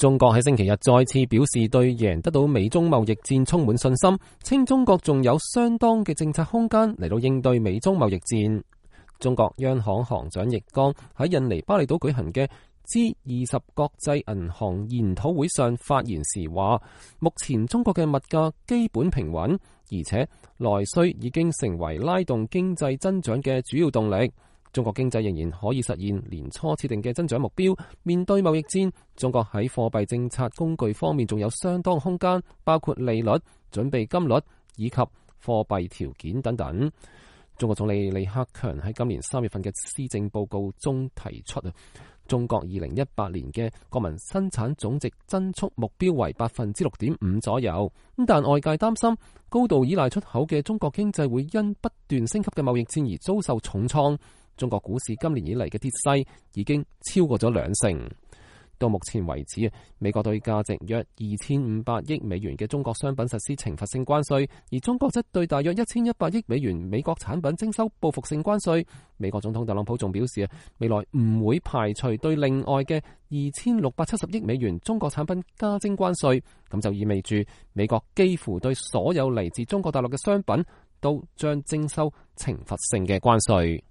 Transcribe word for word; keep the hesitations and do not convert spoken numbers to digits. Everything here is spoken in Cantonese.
中國喺星期日再次表示對贏得到美中貿易戰充滿信心，稱中國仲有相當嘅政策空間嚟到應對美中貿易戰。中國央行行長易綱喺印尼巴厘島舉行嘅 G 二十國際銀行研討會上發言時話，目前中國嘅物價基本平穩，而且內需已經成為拉動經濟增長嘅主要動力。中國經濟仍然可以實現年初設定嘅增長目標。面對貿易戰，中國喺貨幣政策工具方面仲有相當空間，包括利率、準備金率以及貨幣條件等等。中國總理李克強喺今年三月份嘅施政報告中提出啊，中國二零一八年嘅國民生產總值增速目標為百分之六點五左右。但外界擔心高度依賴出口嘅中國經濟會因不斷升級嘅貿易戰而遭受重創。中國股市今年以嚟嘅跌勢已經超過咗兩成。到目前為止，美國對價值約二千五百億美元嘅中國商品實施懲罰性關稅，而中國則對大約一千一百億美元美國產品徵收報復性關稅。美國總統特朗普仲表示，未來唔會排除對另外嘅二千六百七十億美元中國產品加徵關稅。咁就意味住美國幾乎對所有嚟自中國大陸嘅商品都將徵收懲罰性嘅關稅。